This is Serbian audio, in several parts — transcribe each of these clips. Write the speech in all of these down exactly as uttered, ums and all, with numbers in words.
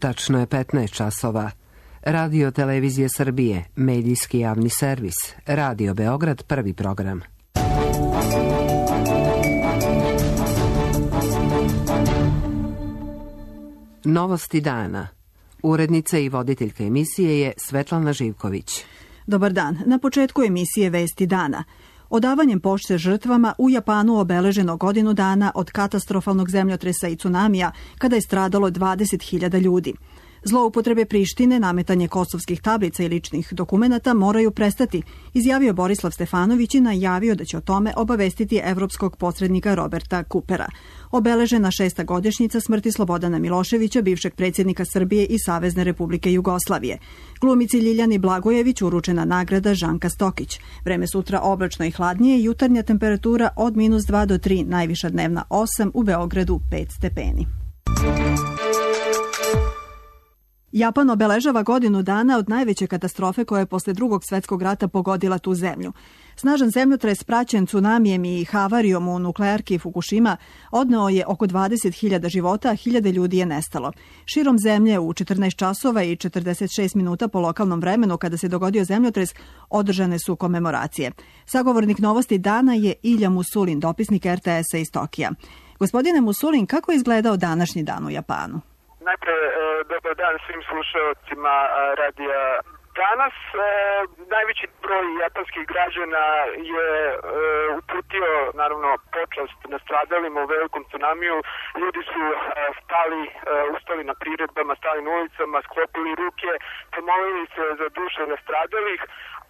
Tačno je petnaest časova. Radio Televizije Srbije, medijski javni servis, Radio Beograd, prvi program. Novosti dana. Urednica i voditeljka emisije je Svetlana Živković. Dobar dan. Na početku emisije Vesti dana. Odavanjem pošte žrtvama u Japanu obeleženo godinu dana od katastrofalnog zemljotresa i tsunamija, kada je stradalo dvadeset hiljada ljudi. Zloupotrebe Prištine, nametanje kosovskih tablica i ličnih dokumenata moraju prestati, izjavio Borislav Stefanović i najavio da će o tome obavestiti evropskog posrednika Roberta Kupera. Obeležena šesta godišnjica smrti Slobodana Miloševića, bivšeg predsjednika Srbije i Savezne Republike Jugoslavije. Glumici Ljiljani Blagojević uručena nagrada Žanka Stokić. Vreme sutra oblačno i hladnije, jutarnja temperatura od minus dva do tri, najviša dnevna osam, u Beogradu pet stepeni. Japan obeležava godinu dana od najveće katastrofe koja je posle drugog svjetskog rata pogodila tu zemlju. Snažan zemljotres praćen tsunamijem i havarijom u nuklearki Fukushima odneo je oko dvadeset hiljada života, a hiljade ljudi je nestalo. Širom zemlje u četrnaest časova i četrdeset šest minuta po lokalnom vremenu kada se dogodio zemljotres održane su komemoracije. Sagovornik Novosti dana je Ilja Musulin, dopisnik er te esa iz Tokija. Gospodine Musulin, kako je izgledao današnji dan u Japanu? Najpre, dobar dan svim slušalcima radija. Danas e, najveći broj japanskih građana je e, uputio, naravno, počast nastradalima u velikom tsunamiju. Ljudi su e, stali, e, ustali na priredbama, stali na ulicama, sklopili ruke, pomolili se za duše nastradalih,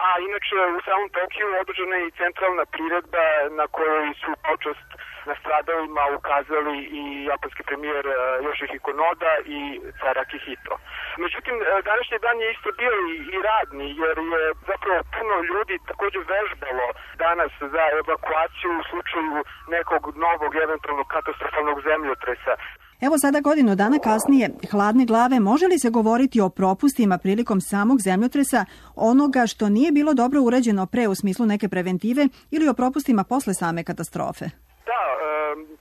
a inače u samom Tokiju održana je i centralna priredba na kojoj su počast nastradalima ukazali i japanski premijer Yoshihiko Noda i car Akihito. Međutim, današnji dan je isto bio i radni, jer je zapravo puno ljudi također vežbalo danas za evakuaciju u slučaju nekog novog, eventualno katastrofalnog zemljotresa. Evo sada godinu dana kasnije, hladne glave, može li se govoriti o propustima prilikom samog zemljotresa, onoga što nije bilo dobro urađeno pre u smislu neke preventive, ili o propustima posle same katastrofe? Da,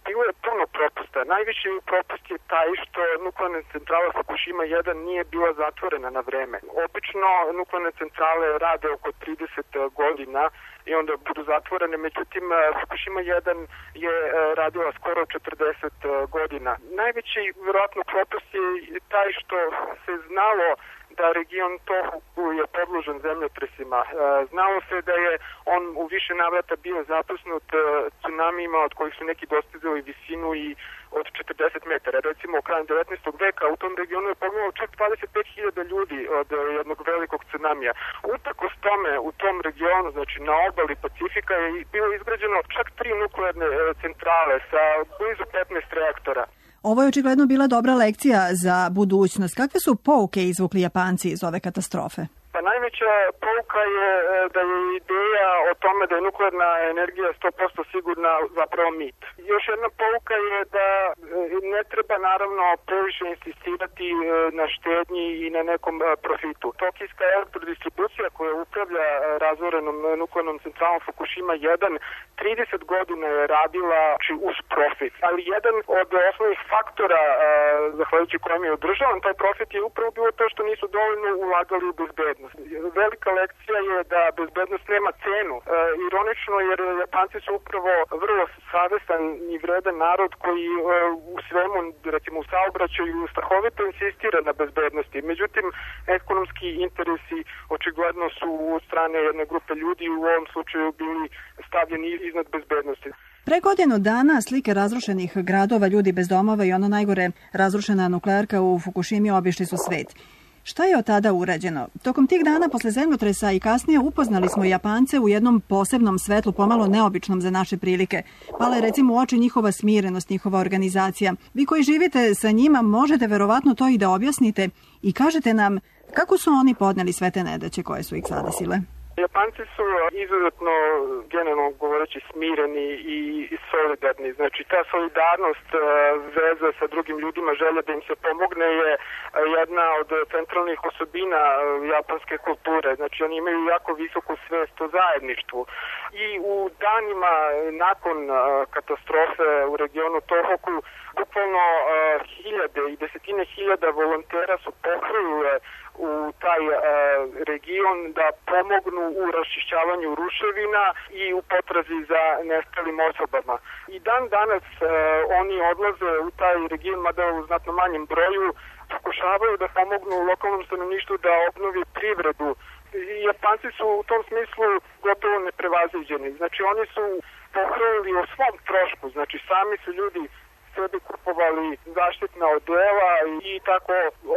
bilo je puno propusta. Najviši propust je taj što nuklearna centrala Fukushima jedan nije bila zatvorena na vreme. Obično nuklearne centrale rade oko trideset godina i onda budu zatvorene, međutim Fukushima jedan je radila skoro četrdeset godina. Najveći vjerojatno propust je taj što se znalo da region Tohoku je podložen zemljotresima. Znalo se da je on u više navrata bio zapusnut tsunamijima od kojih su neki dostizali visinu i od četrdeset metara. Recimo, krajem devetnaestog veka u tom regionu je poginulo čak dvadeset pet hiljada ljudi od jednog velikog tsunamija. Uprkos tome, u tom regionu, znači na obali Pacifika, je bilo izgrađeno čak tri nuklearne centrale sa blizu petnaest reaktora. Ovo je očigledno bila dobra lekcija za budućnost. Kakve su pouke izvukli Japanci iz ove katastrofe? Pa najveća pouka je da je ideja o tome da je nuklearna energija sto posto sigurna zapravo mit. Još jedna pouka je da ne treba naravno previše insistirati na štednji i na nekom profitu. Tokijska elektrodistribucija koja upravlja razorenom nuklearnom centralom Fukushima jedan trideset godina je radila uz profit. Ali jedan od osnovnih faktora zahvaljujući kojem je održavan taj profit je upravo bilo to što nisu dovoljno ulagali u bezbednost. Velika lekcija je da bezbednost nema cenu. E, ironično, jer Japanci su upravo vrlo savestan i vredan narod koji e, u svemu, recimo u saobraćaju, strahovito insistira na bezbednosti. Međutim, ekonomski interesi očigledno su od strane jedne grupe ljudi u ovom slučaju bili stavljeni iznad bezbednosti. Pre godinu dana slike razrušenih gradova, ljudi bez domova i ono najgore, razrušena nuklearka u Fukushimi obišli su svet. Šta je od tada urađeno? Tokom tih dana posle zemljotresa i kasnije upoznali smo Japance u jednom posebnom svetlu, pomalo neobičnom za naše prilike. Pala je recimo u oči njihova smirenost, njihova organizacija. Vi koji živite sa njima možete verovatno to i da objasnite i kažete nam kako su oni podneli sve te nedaće koje su ih zadesile. Japanci su izuzetno, generalno govoreći, smireni i solidarni. Znači, ta solidarnost, veza sa drugim ljudima, želja da im se pomogne je jedna od centralnih osobina japanske kulture. Znači, oni imaju jako visoku svest o zajedništvu. I u danima nakon katastrofe u regionu Tohoku, bukvalno hiljade i desetine hiljada volontera su pohrlile u taj e, region da pomognu u raščišćavanju ruševina i u potrazi za nestalim osobama. I dan danas e, oni odlaze u taj region, mada u znatno manjem broju, pokušavaju da pomognu lokalnom stanovništvu da obnovi privredu. I Japanci su u tom smislu gotovo neprevaziđeni. Znači oni su pohrlili o svom trošku, znači sami su ljudi sebi kupovali zaštitna odela i tako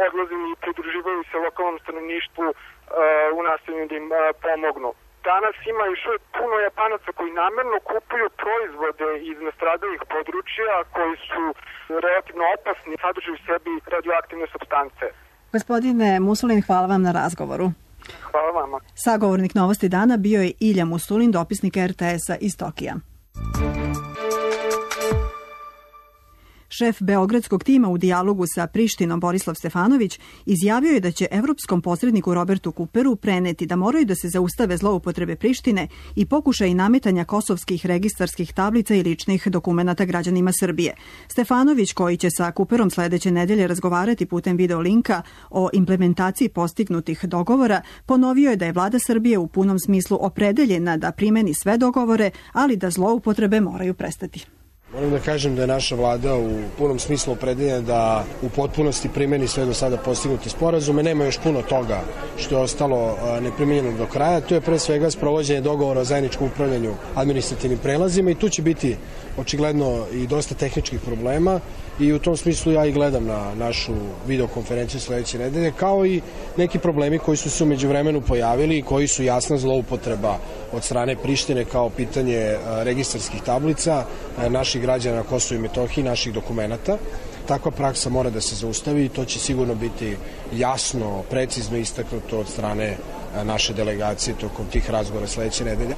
odlazili i pridruživaju se lokalnom stanovništvu uh, u nastojanju da im uh, pomognu. Danas ima još puno Japanaca koji namerno kupuju proizvode iz nastradalih područja koji su relativno opasni, sadrže u sebi radioaktivne supstance. Gospodine Musulin, hvala vam na razgovoru. Hvala vama. Sagovornik Novosti dana bio je Ilja Musulin, dopisnik er te esa iz Tokija. Šef beogradskog tima u dijalogu sa Prištinom Borislav Stefanović izjavio je da će evropskom posredniku Robertu Kuperu preneti da moraju da se zaustave zloupotrebe Prištine i pokušaj nametanja kosovskih registarskih tablica i ličnih dokumenata građanima Srbije. Stefanović, koji će sa Kuperom sledeće nedelje razgovarati putem video linka o implementaciji postignutih dogovora, ponovio je da je vlada Srbije u punom smislu opredeljena da primeni sve dogovore, ali da zloupotrebe moraju prestati. Moram da kažem da je naša vlada u punom smislu opredeljena da u potpunosti primeni sve do sada postignuti sporazume. Nema još puno toga što je ostalo neprimenjeno do kraja. To je pre svega sprovođenje dogovora o zajedničkom upravljanju administrativnim prelazima i tu će biti očigledno i dosta tehničkih problema i u tom smislu ja i gledam na našu videokonferenciju sledeće nedelje, kao i neki problemi koji su se u međuvremenu pojavili i koji su jasna zloupotreba od strane Prištine kao pitanje registarskih tablica naših građana na Kosovu i Metohiji, naših dokumenata. Takva praksa mora da se zaustavi i to će sigurno biti jasno, precizno istaknuto od strane naše delegacije tokom tih razgovora sledeće nedelje.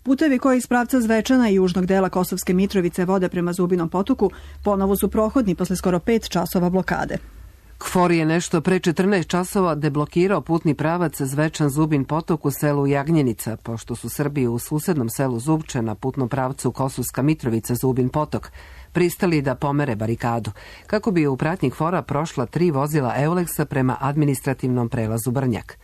Putevi koji iz pravca Zvečana i južnog dela Kosovske Mitrovice vode prema Zubinom potoku ponovo su prohodni posle skoro pet časova blokade. KFOR je nešto pre četrnaest časova deblokirao putni pravac Zvečan Zubin potok u selu Jagnjenica, pošto su Srbi u susednom selu Zubče na putnom pravcu Kosovska Mitrovica Zubin potok pristali da pomere barikadu, kako bi u pratnji KFOR-a prošla tri vozila Euleksa prema administrativnom prelazu Brnjak.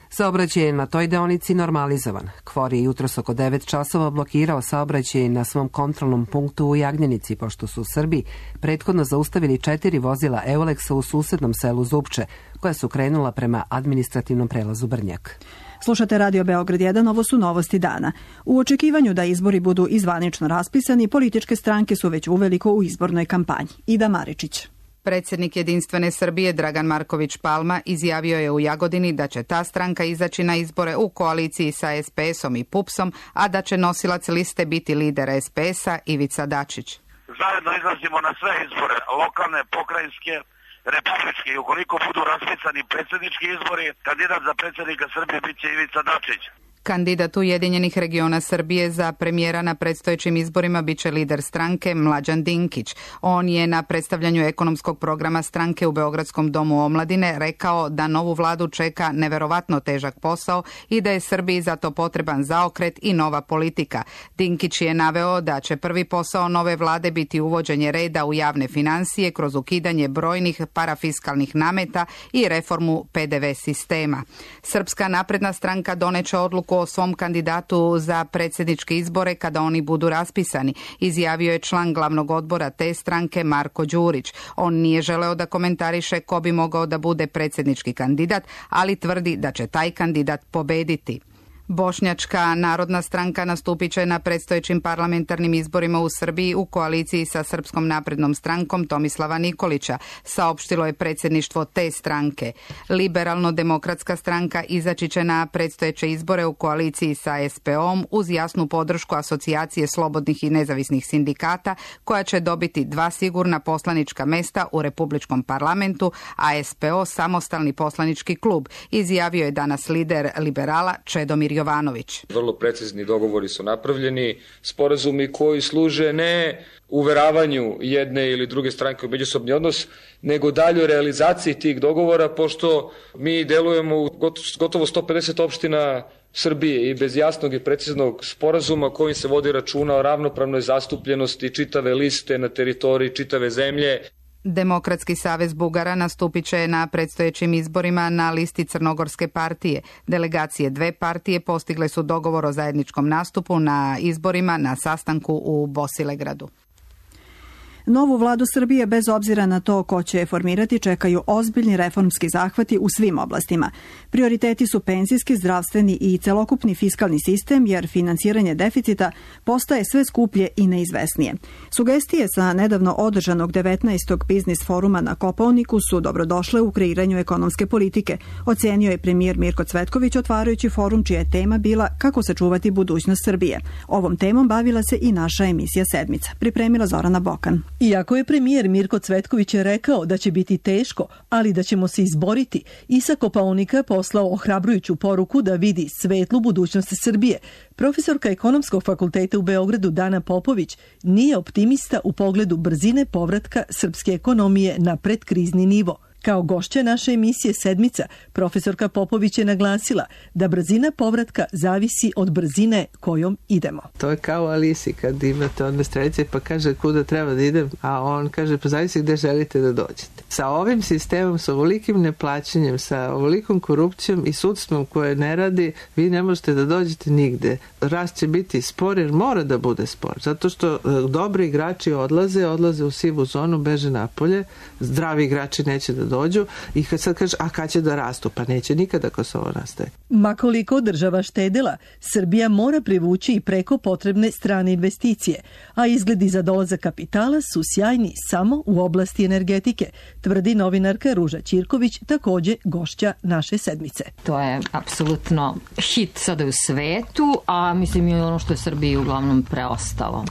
Saobraćaj je na toj deonici normalizovan. KFOR je jutros oko devet časova blokirao saobraćaj na svom kontrolnom punktu u Jagnjenici, pošto su Srbi prethodno zaustavili četiri vozila Euleksa u susednom selu Zubče, koja su krenula prema administrativnom prelazu Brnjak. Slušate Radio Beograd jedan, ovo su novosti dana. U očekivanju da izbori budu izvanično raspisani, političke stranke su već uveliko u izbornoj kampanji. Ida Maričić. Predsjednik Jedinstvene Srbije Dragan Marković Palma izjavio je u Jagodini da će ta stranka izaći na izbore u koaliciji sa es pe esom i pupsom, a da će nosilac liste biti lider es pe esa Ivica Dačić. Zajedno izlazimo na sve izbore, lokalne, pokrajinske, republičke i ukoliko budu raspisani predsjednički izbori, kandidat za predsjednika Srbije bit će Ivica Dačić. Kandidat Ujedinjenih regiona Srbije za premijera na predstojećim izborima biće lider stranke Mlađan Dinkić. On je na predstavljanju ekonomskog programa stranke u Beogradskom domu omladine rekao da novu vladu čeka neverovatno težak posao i da je Srbiji zato potreban zaokret i nova politika. Dinkić je naveo da će prvi posao nove vlade biti uvođenje reda u javne financije kroz ukidanje brojnih parafiskalnih nameta i reformu pe de ve sistema. Srpska napredna stranka doneće odluku o svom kandidatu za predsjedničke izbore kada oni budu raspisani, izjavio je član glavnog odbora te stranke Marko Đurić. On nije želeo da komentariše ko bi mogao da bude predsjednički kandidat, ali tvrdi da će taj kandidat pobediti. Bošnjačka narodna stranka nastupit će na predstojećim parlamentarnim izborima u Srbiji u koaliciji sa Srpskom naprednom strankom Tomislava Nikolića, saopštilo je predsjedništvo te stranke. Liberalno-demokratska stranka izaći će na predstojeće izbore u koaliciji sa es pe om uz jasnu podršku Asocijacije slobodnih i nezavisnih sindikata, koja će dobiti dva sigurna poslanička mesta u Republičkom parlamentu, a es pe o samostalni poslanički klub, izjavio je danas lider liberala Čedomir Jovanović. Vrlo precizni dogovori su napravljeni, sporazumi koji služe ne uveravanju jedne ili druge stranke u međusobni odnos, nego daljoj realizaciji tih dogovora, pošto mi delujemo u gotovo sto pedeset opština Srbije i bez jasnog i preciznog sporazuma kojim se vodi računa o ravnopravnoj zastupljenosti čitave liste na teritoriji čitave zemlje. Demokratski savez Bugara nastupit će na predstojećim izborima na listi Crnogorske partije. Delegacije dve partije postigle su dogovor o zajedničkom nastupu na izborima na sastanku u Bosilegradu. Novu vladu Srbije, bez obzira na to ko će je formirati, čekaju ozbiljni reformski zahvati u svim oblastima. Prioriteti su penzijski, zdravstveni i celokupni fiskalni sistem, jer finansiranje deficita postaje sve skuplje i neizvesnije. Sugestije sa nedavno održanog devetnaestog biznis foruma na Kopaoniku su dobrodošle u kreiranju ekonomske politike, ocenio je premijer Mirko Cvetković otvarajući forum čija je tema bila kako sačuvati budućnost Srbije. Ovom temom bavila se i naša emisija Sedmica. Pripremila Zorana Bokan. Iako je premijer Mirko Cvetković je rekao da će biti teško, ali da ćemo se izboriti, i sa Kopaonika poslao ohrabrujuću poruku da vidi svetlu budućnost Srbije. Profesorka Ekonomskog fakulteta u Beogradu Dana Popović nije optimista u pogledu brzine povratka srpske ekonomije na predkrizni nivo. Kao gošća naše emisije Sedmica, profesorka Popović je naglasila da brzina povratka zavisi od brzine kojom idemo. To je kao Alisi kad imate one strelice pa kaže kuda treba da idem, a on kaže pa zavisi gde želite da dođete. Sa ovim sistemom, sa ovolikim neplaćanjem, sa ovolikom korupcijom i sudstvom koje ne radi, vi ne možete da dođete nigde. Rast će biti spor jer mora da bude spor, zato što dobri igrači odlaze, odlaze u sivu zonu, beže napolje, zdravi igrači neće da dođu i kad sad kaže, a kad će da rastu? Pa neće nikada ako se ovo nastaje. Makoliko država štedela, Srbija mora privući i preko potrebne strane investicije, a izgledi za dolazak kapitala su sjajni samo u oblasti energetike, tvrdi novinarka Ruža Ćirković, takođe gošća naše Sedmice. To je apsolutno hit sada u svetu, a mislim i ono što je Srbiji uglavnom preostalo.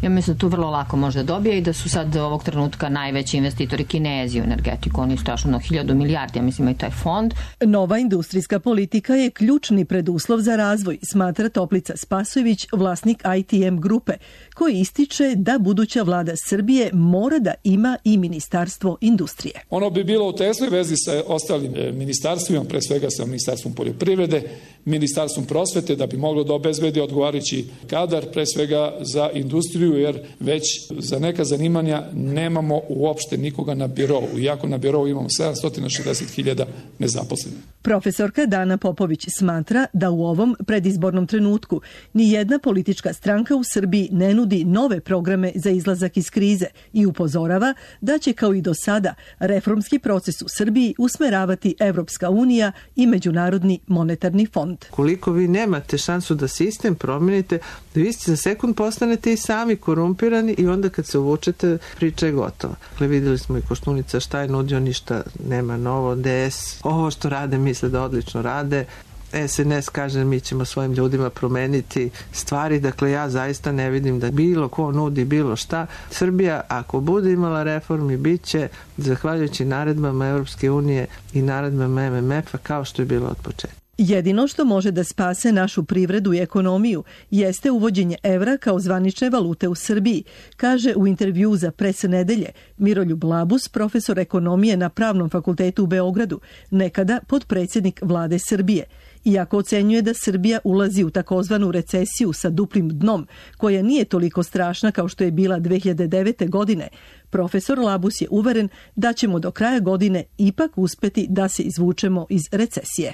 Ja mislim da tu vrlo lako može dobije i da su sad ovog trenutka najveći investitori Kinezi u energetiku. Oni strašno hiljadu milijardi, ja mislim i taj fond. Nova industrijska politika je ključni preduslov za razvoj, smatra Toplica Spasojević, vlasnik I T M grupe, koji ističe da buduća vlada Srbije mora da ima i ministarstvo industrije. Ono bi bilo u tesnoj vezi sa ostalim ministarstvima, pre svega sa ministarstvom poljoprivrede, ministarstvom prosvete, da bi moglo da obezbedi odgovarajući kadar, pre svega za industriju, jer već za neka zanimanja nemamo uopšte nikoga na birovu, iako na birovu imamo sedamsto šezdeset hiljada nezaposlenih. Profesorka Dana Popović smatra da u ovom predizbornom trenutku ni jedna politička stranka u Srbiji ne nudi nove programe za izlazak iz krize i upozorava da će kao i do sada reformski proces u Srbiji usmeravati Evropska unija i Međunarodni monetarni fond. Koliko vi nemate šansu da sistem promenite, vi ste za sekund postanete i sami korumpirani i onda kad se uvučete priča je gotova. Dakle, videli smo i Koštunica šta je nudio, ništa nema novo, D S, ovo što rade misle da odlično rade, S N S kaže mi ćemo svojim ljudima promeniti stvari, dakle ja zaista ne vidim da bilo ko nudi bilo šta. Srbija ako bude imala reformi bit će zahvaljujući naredbama Evropske unije i naredbama M M F-a kao što je bilo od početka. Jedino što može da spase našu privredu i ekonomiju jeste uvođenje evra kao zvanične valute u Srbiji, kaže u intervjuu za Pres nedelje Miroljub Labus, profesor ekonomije na Pravnom fakultetu u Beogradu, nekada potpredsjednik vlade Srbije. Iako ocenjuje da Srbija ulazi u takozvanu recesiju sa duplim dnom, koja nije toliko strašna kao što je bila dve hiljade devete. godine, profesor Labus je uveren da ćemo do kraja godine ipak uspeti da se izvučemo iz recesije.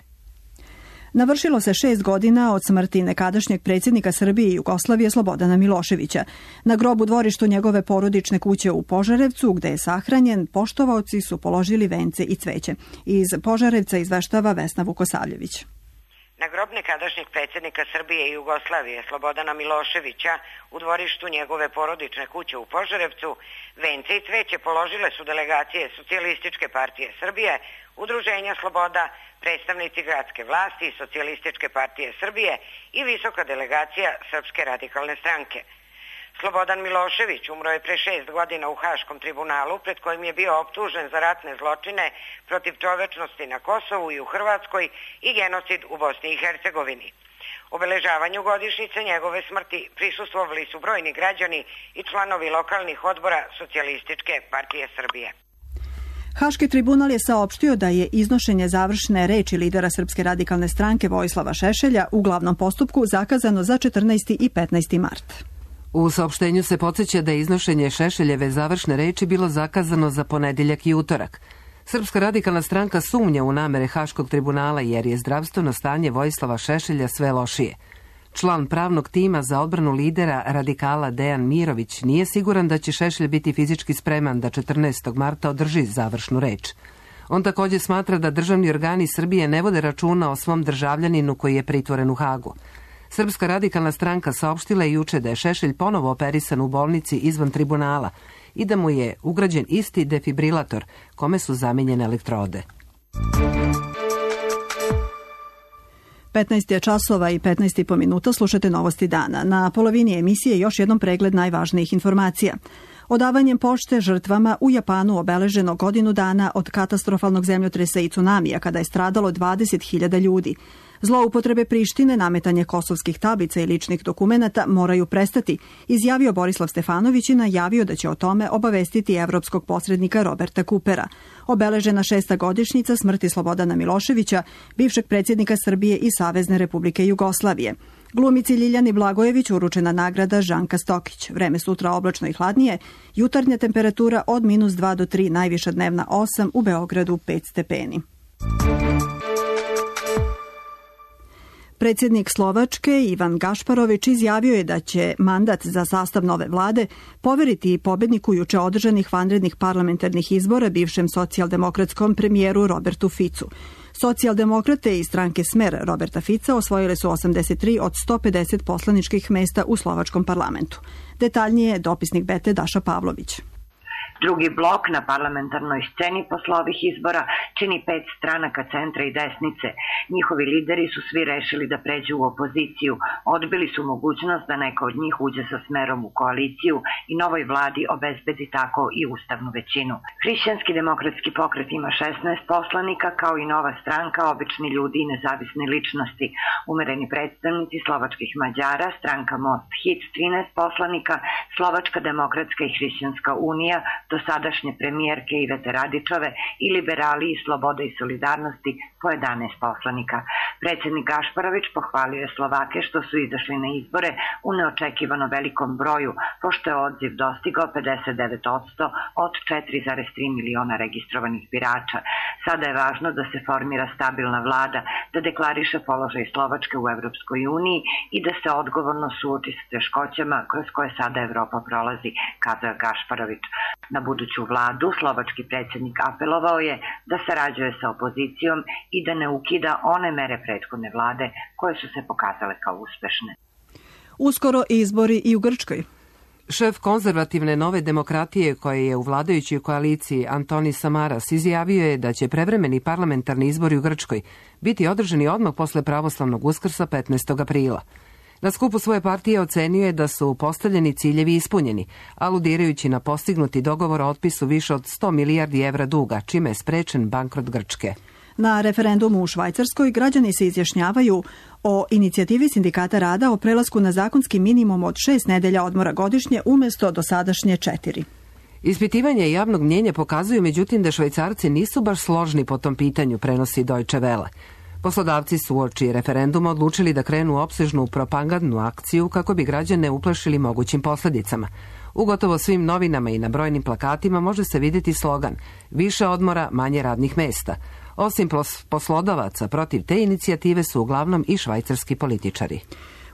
Navršilo se šest godina od smrti nekadašnjeg predsjednika Srbije i Jugoslavije Slobodana Miloševića. Na grobu dvorištu njegove porodične kuće u Požarevcu, gde je sahranjen, poštovaoci su položili vence i cveće. Iz Požarevca izveštava Vesna Vukosavljević. Na grob nekadašnjeg predsjednika Srbije i Jugoslavije Slobodana Miloševića u dvorištu njegove porodične kuće u Požarevcu vence i cveće položile su delegacije Socijalističke partije Srbije, Udruženja Sloboda, predstavnici gradske vlasti i Socijalističke partije Srbije i visoka delegacija Srpske radikalne stranke. Slobodan Milošević umro je pre šest godina u Haškom tribunalu, pred kojim je bio optužen za ratne zločine protiv čovečnosti na Kosovu i u Hrvatskoj i genocid u Bosni i Hercegovini. Obeležavanju godišnjice njegove smrti prisustvovali su brojni građani i članovi lokalnih odbora Socijalističke partije Srbije. Haški tribunal je saopštio da je iznošenje završne reči lidera Srpske radikalne stranke Vojislava Šešelja u glavnom postupku zakazano za četrnaesti i petnaesti mart. U saopštenju se podsjeća da je iznošenje Šešeljeve završne reči bilo zakazano za ponedeljak i utorak. Srpska radikalna stranka sumnja u namere Haškog tribunala jer je zdravstveno stanje Vojislava Šešelja sve lošije. Član pravnog tima za odbranu lidera radikala Dejan Mirović nije siguran da će Šešelj biti fizički spreman da četrnaestog marta održi završnu reč. On također smatra da državni organi Srbije ne vode računa o svom državljaninu koji je pritvoren u Hagu. Srpska radikalna stranka saopštila je juče da je Šešelj ponovo operisan u bolnici izvan tribunala i da mu je ugrađen isti defibrilator kome su zamenjene elektrode. petnaest je časova i petnaest i po minuta, slušate Novosti dana. Na polovini emisije još jednom pregled najvažnijih informacija. Odavanjem pošte žrtvama u Japanu obeleženo godinu dana od katastrofalnog zemljotresa i cunamija kada je stradalo dvadeset hiljada ljudi. Zloupotrebe Prištine, nametanje kosovskih tablica i ličnih dokumenata moraju prestati, izjavio Borislav Stefanović i najavio da će o tome obavestiti evropskog posrednika Roberta Kupera. Obeležena šesta godišnjica smrti Slobodana Miloševića, bivšeg predsjednika Srbije i Savezne Republike Jugoslavije. Glumici Ljiljani Blagojević uručena nagrada Žanka Stokić. Vreme sutra oblačno i hladnije, jutarnja temperatura od minus dva do tri, najviša dnevna osam, u Beogradu pet stepeni. Predsjednik Slovačke Ivan Gašparović izjavio je da će mandat za sastav nove vlade poveriti pobedniku juče održanih vanrednih parlamentarnih izbora bivšem socijaldemokratskom premijeru Robertu Ficu. Socijaldemokrate i stranke Smer Roberta Fica osvojile su osamdeset tri od sto pedeset poslaničkih mesta u slovačkom parlamentu. Detaljnije dopisnik Bete Daša Pavlović. Drugi blok na parlamentarnoj sceni posle ovih izbora čini pet stranaka centra i desnice. Njihovi lideri su svi rešili da pređu u opoziciju. Odbili su mogućnost da neka od njih uđe sa Smerom u koaliciju i novoj vladi obezbedi tako i ustavnu većinu. Hrišćanski demokratski pokret ima šesnaest poslanika, kao i nova stranka Obični ljudi i nezavisne ličnosti. Umereni predstavnici slovačkih Mađara, stranka Most Hit trinaest poslanika, Slovačka demokratska i Hrišćanska unija, dosadašnje premijerke Ivete Radičove i liberali i Slobode i solidarnosti po jedanaest poslanika. Predsjednik Gašparović pohvalio je Slovake što su izašli na izbore u neočekivano velikom broju, pošto je odziv dostigao pedeset devet posto od četiri zarez tri miliona registrovanih birača. Sada je važno da se formira stabilna vlada, da deklariše položaj Slovačke u Evropskoj uniji i da se odgovorno suoči s teškoćama kroz koje sada Evropa prolazi, kazao je Gašparović. Na buduću vladu slovački predsjednik apelovao je da sarađuje sa opozicijom i da ne ukida one mere prethodne vlade koje su se pokazale kao uspešne. Uskoro izbori i u Grčkoj. Šef konzervativne Nove demokratije koje je u vladajućoj koaliciji Antonis Samaras izjavio je da će prevremeni parlamentarni izbori u Grčkoj biti održani odmah posle pravoslavnog Uskrsa petnaestog aprila. Na skupu svoje partije ocenio je da su postavljeni ciljevi ispunjeni, aludirajući na postignuti dogovor o otpisu više od sto milijardi evra duga, čime je sprečen bankrot Grčke. Na referendumu u Švajcarskoj građani se izjašnjavaju o inicijativi Sindikata rada o prelasku na zakonski minimum od šest nedelja odmora godišnje umjesto dosadašnje četiri. Ispitivanje javnog mnjenja pokazuju međutim da Švajcarci nisu baš složni po tom pitanju, prenosi Deutsche Welle. Poslodavci su uoči referenduma odlučili da krenu opsežnu propagandnu akciju kako bi građane uplašili mogućim posljedicama. U gotovo svim novinama i na brojnim plakatima može se vidjeti slogan više odmora, manje radnih mesta. Osim poslodavaca, protiv te inicijative su uglavnom i švajcarski političari.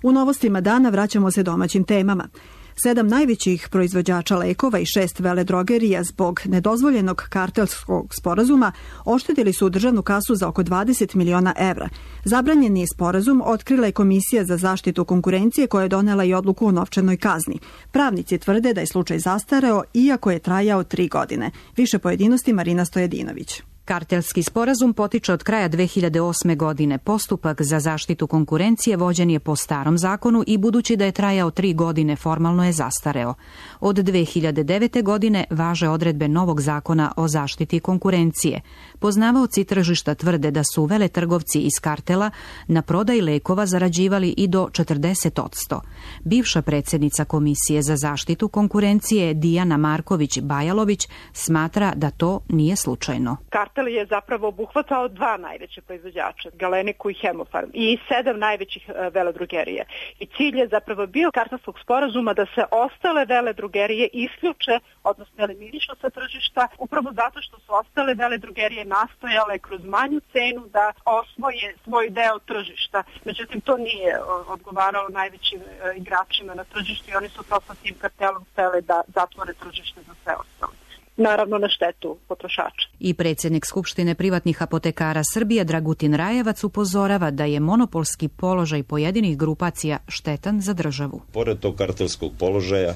U novostima dana vraćamo se domaćim temama. Sedam najvećih proizvođača lekova i šest veledrogerija zbog nedozvoljenog kartelskog sporazuma oštetili su državnu kasu za oko dvadeset miliona evra. Zabranjeni sporazum otkrila je Komisija za zaštitu konkurencije koja je donela i odluku o novčanoj kazni. Pravnici tvrde da je slučaj zastareo iako je trajao tri godine. Više pojedinosti Marina Stojadinović. Kartelski sporazum potiče od kraja dve hiljade osme. godine. Postupak za zaštitu konkurencije vođen je po starom zakonu i budući da je trajao tri godine formalno je zastareo. Od dve hiljade devete. godine važe odredbe novog zakona o zaštiti konkurencije. Poznavaoci tržišta tvrde da su veletrgovci iz kartela na prodaji lekova zarađivali i do četrdeset posto. Bivša predsjednica Komisije za zaštitu konkurencije Dijana Marković-Bajalović smatra da to nije slučajno. Kartel je zapravo obuhvatao dva najveće proizvođača, Galeniku i Hemofarm, i sedam najvećih veledrogerija. I cilj je zapravo bio kartelskog sporazuma da se ostale veledrogerije isključe, odnosno eliminišu sa tržišta, upravo zato što su ostale veledrogerije nastojale kroz manju cenu da osvoje svoj deo tržišta. Međutim, to nije odgovaralo najvećim igračima na tržištu i oni su to sa tim kartelom hteli da zatvore tržište za sve ostalo. Naravno na štetu potrošača. I predsjednik Skupštine privatnih apotekara Srbije Dragutin Rajevac upozorava da je monopolski položaj pojedinih grupacija štetan za državu. Pored tog kartelskog položaja,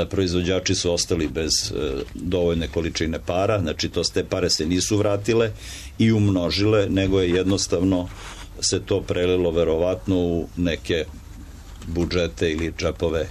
proizvođači su ostali bez dovoljne količine para, znači to te pare se nisu vratile i umnožile, nego je jednostavno se to prelilo verovatno u neke budžete ili džepove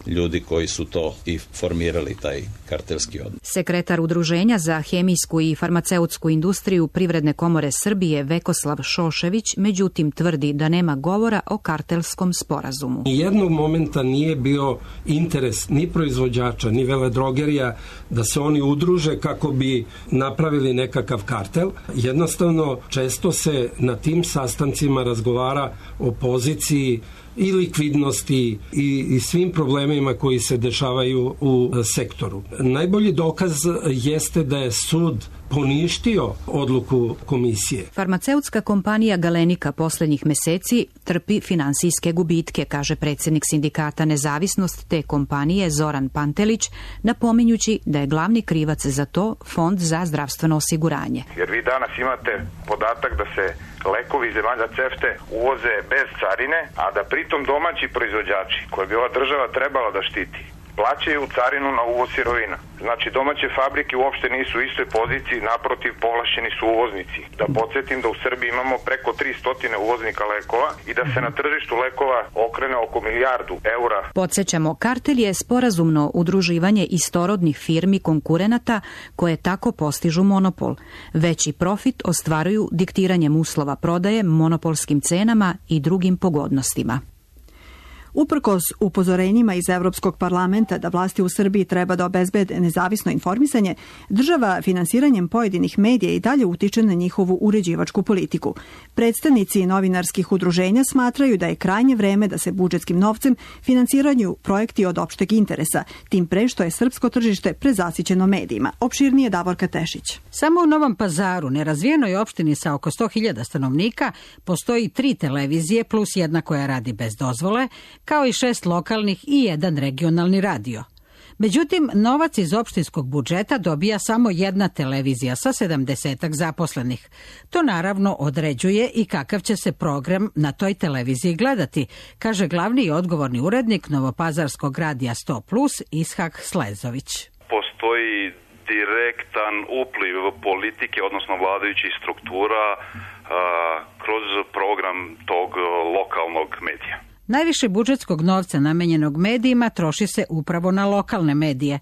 ljudi koji su to i formirali, taj kartelski odnos. Sekretar Udruženja za hemijsku i farmaceutsku industriju Privredne komore Srbije Vekoslav Šošević međutim tvrdi da nema govora o kartelskom sporazumu. Nijednog momenta nije bio interes ni proizvođača, ni veledrogerija da se oni udruže kako bi napravili nekakav kartel. Jednostavno, često se na tim sastancima razgovara o poziciji i likvidnosti i, i svim problemima koji se dešavaju u sektoru. Najbolji dokaz jeste da je sud poništio odluku komisije. Farmaceutska kompanija Galenika posljednjih meseci trpi finansijske gubitke, kaže predsjednik sindikata Nezavisnost te kompanije Zoran Pantelić, napominjući da je glavni krivac za to Fond za zdravstveno osiguranje. Jer vi danas imate podatak da se lekovi iz zemalja CEFTE uvoze bez carine, a da pritom domaći proizvođači, koje bi ova država trebala da štiti, plaćaju carinu na uvoz sirovina. Znači, domaće fabrike uopšte nisu u istoj poziciji, naprotiv, povlašćeni su uvoznici. Da podsjetim da u Srbiji imamo preko tristo uvoznika lekova i da se na tržištu lekova okrene oko milijardu eura. Podsjećamo, kartel je sporazumno udruživanje istorodnih firmi konkurenata koje tako postižu monopol. Veći profit ostvaruju diktiranjem uslova prodaje, monopolskim cenama i drugim pogodnostima. Uprkos upozorenjima iz Evropskog parlamenta da vlasti u Srbiji treba da obezbede nezavisno informisanje, država finansiranjem pojedinih medija i dalje utiče na njihovu uređivačku politiku. Predstavnici novinarskih udruženja smatraju da je krajnje vreme da se budžetskim novcem finansiraju projekti od opšteg interesa, tim pre što je srpsko tržište prezasićeno medijima. Opširnije Davorka Tešić. Samo u Novom Pazaru, nerazvijenoj opštini sa oko sto hiljada stanovnika, postoji tri televizije plus jedna koja radi bez dozvole, kao i šest lokalnih i jedan regionalni radio. Međutim, novac iz opštinskog budžeta dobija samo jedna televizija sa sedamdesetak zaposlenih. To naravno određuje i kakav će se program na toj televiziji gledati, kaže glavni i odgovorni urednik Novopazarskog radija sto plus Ishak Slezović. Postoji direktan upliv politike, odnosno vladajućih struktura a, kroz program tog lokalnog medija. Najviše budžetskog novca namenjenog medijima troši se upravo na lokalne medije.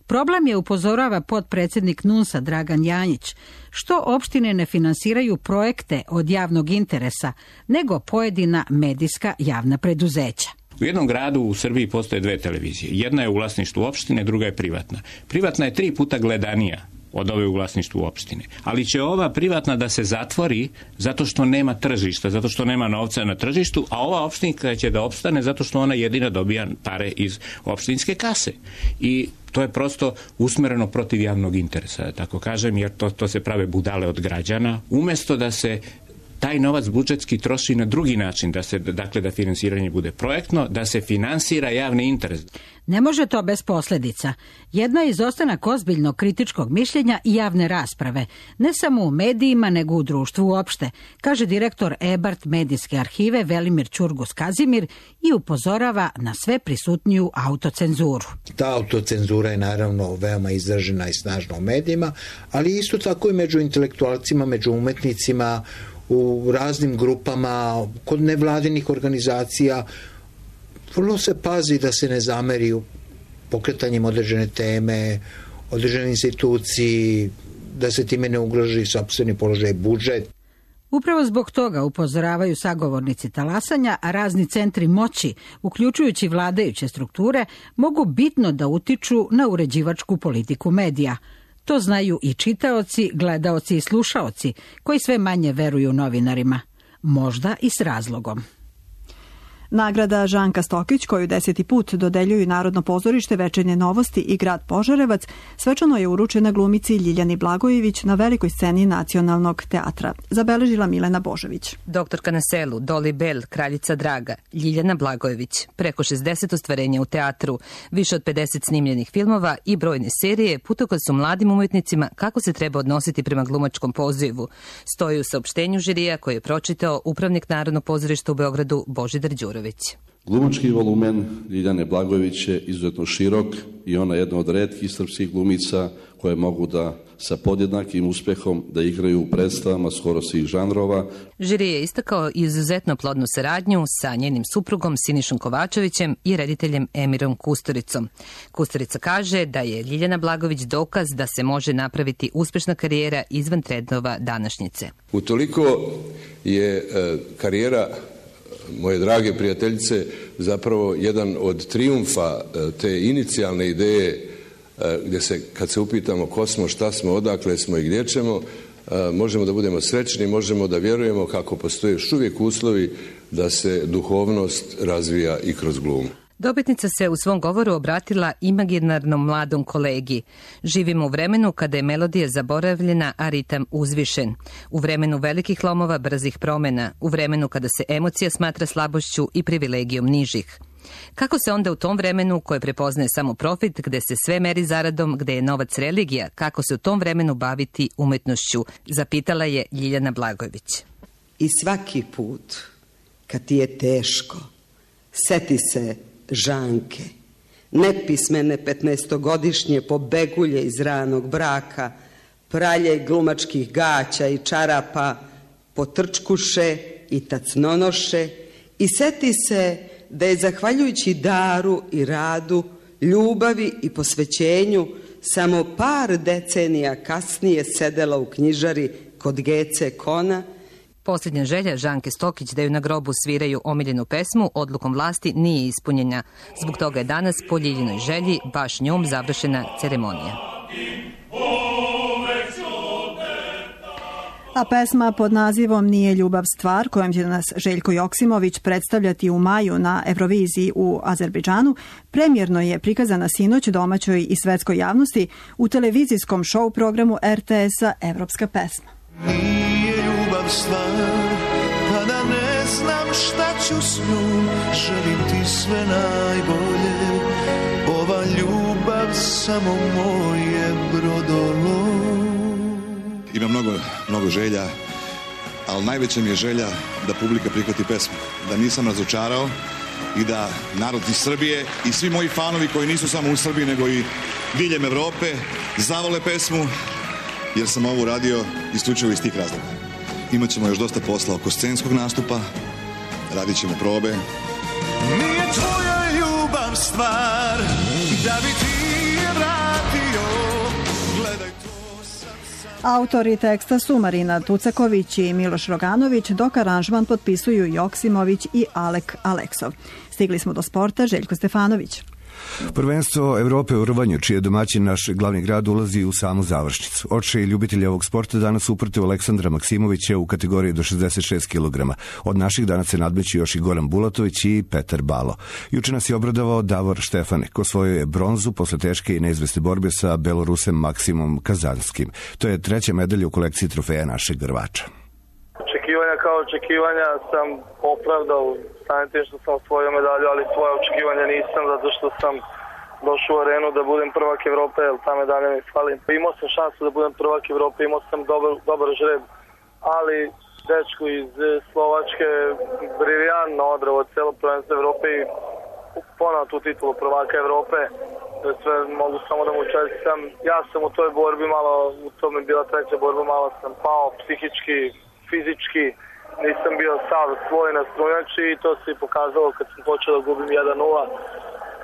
Problem je, upozorava potpredsjednik NUNS-a Dragan Janjić, što opštine ne finansiraju projekte od javnog interesa, nego pojedina medijska javna preduzeća. U jednom gradu u Srbiji postoje dve televizije. Jedna je u vlasništvu opštine, druga je privatna. Privatna je tri puta gledanija od ove u vlasništvu opštine. Ali će ova privatna da se zatvori zato što nema tržišta, zato što nema novca na tržištu, a ova opštinska će da opstane zato što ona jedina dobija pare iz opštinske kase. I to je prosto usmereno protiv javnog interesa, da tako kažem, jer to, to se prave budale od građana. Umesto da se taj novac budžetski troši na drugi način, da se, dakle, da finansiranje bude projektno, da se finansira javni interes. Ne može to bez posljedica. Jedna je izostanak ozbiljnog kritičkog mišljenja i javne rasprave, ne samo u medijima, nego u društvu uopšte, kaže direktor E-Bart medijske arhive Velimir Ćurgus Kazimir i upozorava na sve prisutniju autocenzuru. Ta autocenzura je naravno veoma izražena i snažna u medijima, ali isto tako i među intelektualcima, među umetnicima, u raznim grupama, kod nevladinih organizacija. Vrlo se pazi da se ne zameri pokretanjem određene teme, određene instituciji, da se time ne ugroži sopstveni položaj budžet. Upravo zbog toga upozoravaju sagovornici talasanja, a razni centri moći, uključujući vladajuće strukture, mogu bitno da utiču na uređivačku politiku medija. To znaju i čitaoci, gledaoci i slušaoci, koji sve manje veruju novinarima. Možda i s razlogom. Nagrada Žanka Stokić, koju deseti put dodeljuju Narodno pozorište, Večernje novosti i grad Požarevac, svečano je uručena glumici Ljiljani Blagojević na velikoj sceni Nacionalnog teatra, zabeležila Milena Božović. Doktorka na selu, Doli Bel, Kraljica Draga, Ljiljana Blagojević, preko šezdeset ostvarenja u teatru, više od pedeset snimljenih filmova i brojne serije, putokaz su mladim umetnicima kako se treba odnositi prema glumačkom pozivu. Stoji u saopštenju žirija koje je pročitao upravnik Narodnog pozorišta u Beogradu Božidar Đurović. Glumački volumen Ljiljane Blagojević je izuzetno širok i ona je jedna od retkih srpskih glumica koje mogu da sa podjednakim uspehom da igraju u predstavama skoro svih žanrova. Žiri je istakao izuzetno plodnu saradnju sa njenim suprugom Sinišom Kovačevićem i rediteljem Emirom Kusturicom. Kusturica kaže da je Ljiljana Blagojević dokaz da se može napraviti uspešna karijera izvan trendova današnjice. Utoliko je e, karijera moje drage prijateljice zapravo jedan od trijumfa te inicijalne ideje gdje se, kad se upitamo ko smo, šta smo, odakle smo i gdje ćemo, možemo da budemo srećni, možemo da vjerujemo kako postoje još uvijek uslovi da se duhovnost razvija i kroz glumu. Dobitnica se u svom govoru obratila imaginarnom mladom kolegi. Živimo u vremenu kada je melodija zaboravljena, a ritam uzvišen. U vremenu velikih lomova, brzih promjena. U vremenu kada se emocija smatra slabošću i privilegijom nižih. Kako se onda u tom vremenu koje prepoznaje samo profit, gde se sve meri zaradom, gde je novac religija, kako se u tom vremenu baviti umetnošću? Zapitala je Ljiljana Blagojević. I svaki put, kad ti je teško, seti se Žanke, nepismene petnaestogodišnje pobegulje iz ranog braka, pralje glumačkih gaća i čarapa, potrčkuše i tacnonoše, i seti se da je zahvaljujući daru i radu, ljubavi i posvećenju samo par decenija kasnije sedela u knjižari kod Gece Kona. Posljednja želja Žanke Stokić da ju na grobu sviraju omiljenu pesmu odlukom vlasti nije ispunjena. Zbog toga je danas po Ljiljinoj želji baš njom završena ceremonija. A pesma pod nazivom Nije ljubav stvar, kojom će nas Željko Joksimović predstavljati u maju na Euroviziji u Azerbejdžanu, premjerno je prikazana sinoć domaćoj i svetskoj javnosti u televizijskom show programu er te esa Evropska pesma. Nije ljubav stvar, pa da ne znam šta ću s njom, želim ti sve najbolje, ova ljubav samo moje brodolo. Ima mnogo, mnogo želja, ali najveća mi je želja da publika prihvati pesmu, da nisam razočarao i da narod iz Srbije i svi moji fanovi koji nisu samo u Srbiji nego i diljem Evrope zavole pesmu, jer sam ovo uradio isključivo iz tih razloga. Imaćemo još dosta posla oko scenskog nastupa, radit ćemo probe. Nije tvoja ljubav stvar, da bi ti je vratio, gledaj to. Autori teksta su Marina Tucaković i Miloš Roganović, dok aranžman potpisuju Joksimović i Alek Aleksov. Stigli smo do sporta, Željko Stefanović. Prvenstvo Evrope u rvanju, čiji je domaćin naš glavni grad, ulazi u samu završnicu. Očeji ljubitelji ovog sporta danas uprotiv Aleksandra Maksimovića u kategoriji do šezdeset šest kilograma. Od naših danas se nadmeću još i Goran Bulatović i Petar Balo. Juče nas je obradovao Davor Štefanek, osvojio je bronzu posle teške i neizvesne borbe sa Belorusem Maksimom Kazanskim. To je treća medalja u kolekciji trofeja našeg grvača. Očekivanja kao očekivanja sam opravdao samim tim što sam osvojio medalju, ali svoje očekivanja nisam, zato što sam došao u arenu da budem prvak Evrope, jer ta medalja mi fali. Imao sam šansu da budem prvak Evrope, imao sam dobar, dobar žreb, ali dečko iz Slovačke briljantno odrao celo prvenstvo Evrope i ponao tu titulu prvaka Evrope. Sve mogu samo da mu čestitam. Ja sam u toj borbi malo, u tome je bila treća borba, malo sam pao psihički, fizički, nisam bio sav svoj na strunjači i to se i pokazalo kad sam počeo da gubim jedan nula.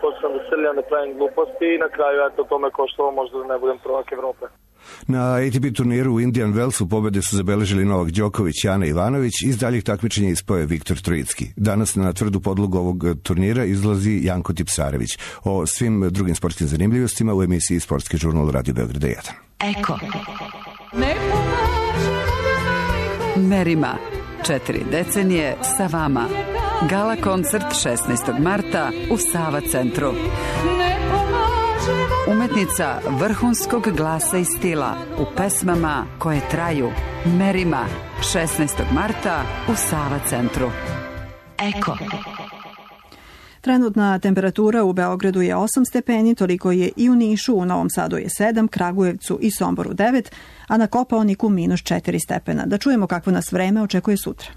Počeo sam da srljam, da pravim gluposti i na kraju eto to me koštalo možda da ne budem prvak Evrope. Na A T P turniru u Indian Wellsu pobede su zabeležili Novak Đoković i Ana Ivanović, iz daljih takmičenja ispoje Viktor Trojicki. Danas na tvrdu podlogu ovog turnira izlazi Janko Tipsarević. O svim drugim sportskim zanimljivostima u emisiji Sportski žurnal Radio Beograda jedan. Eko. Merima. Četiri decenije sa vama. Gala koncert šesnaestog marta u Sava centru. Umetnica vrhunskog glasa i stila u pesmama koje traju. Merima, šesnaestog marta u Sava centru. Eko. Trenutna temperatura u Beogradu je osam stepeni, toliko je i u Nišu, u Novom Sadu je sedam, Kragujevcu i Somboru devet, a na Kopaoniku minus četiri stepena. Da čujemo kakvo nas vreme očekuje sutra.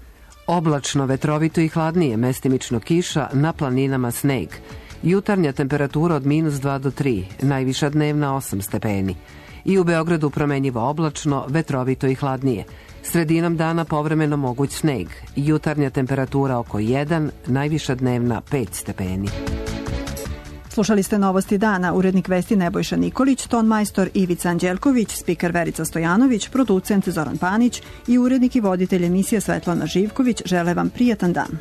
Oblačno, vetrovito i hladnije, mestimično kiša, na planinama sneg. Jutarnja temperatura od minus dva do tri, najviša dnevna osam stepeni. I u Beogradu promenjivo oblačno, vetrovito i hladnije. Sredinom dana povremeno moguć sneg. Jutarnja temperatura oko jedan, najviša dnevna pet stepeni. Slušali ste Novosti dana, urednik vesti Nebojša Nikolić, ton majstor Ivica Anđelković, spiker Verica Stojanović, producent Zoran Panić i urednik i voditelj emisije Svetlana Živković žele vam prijatan dan.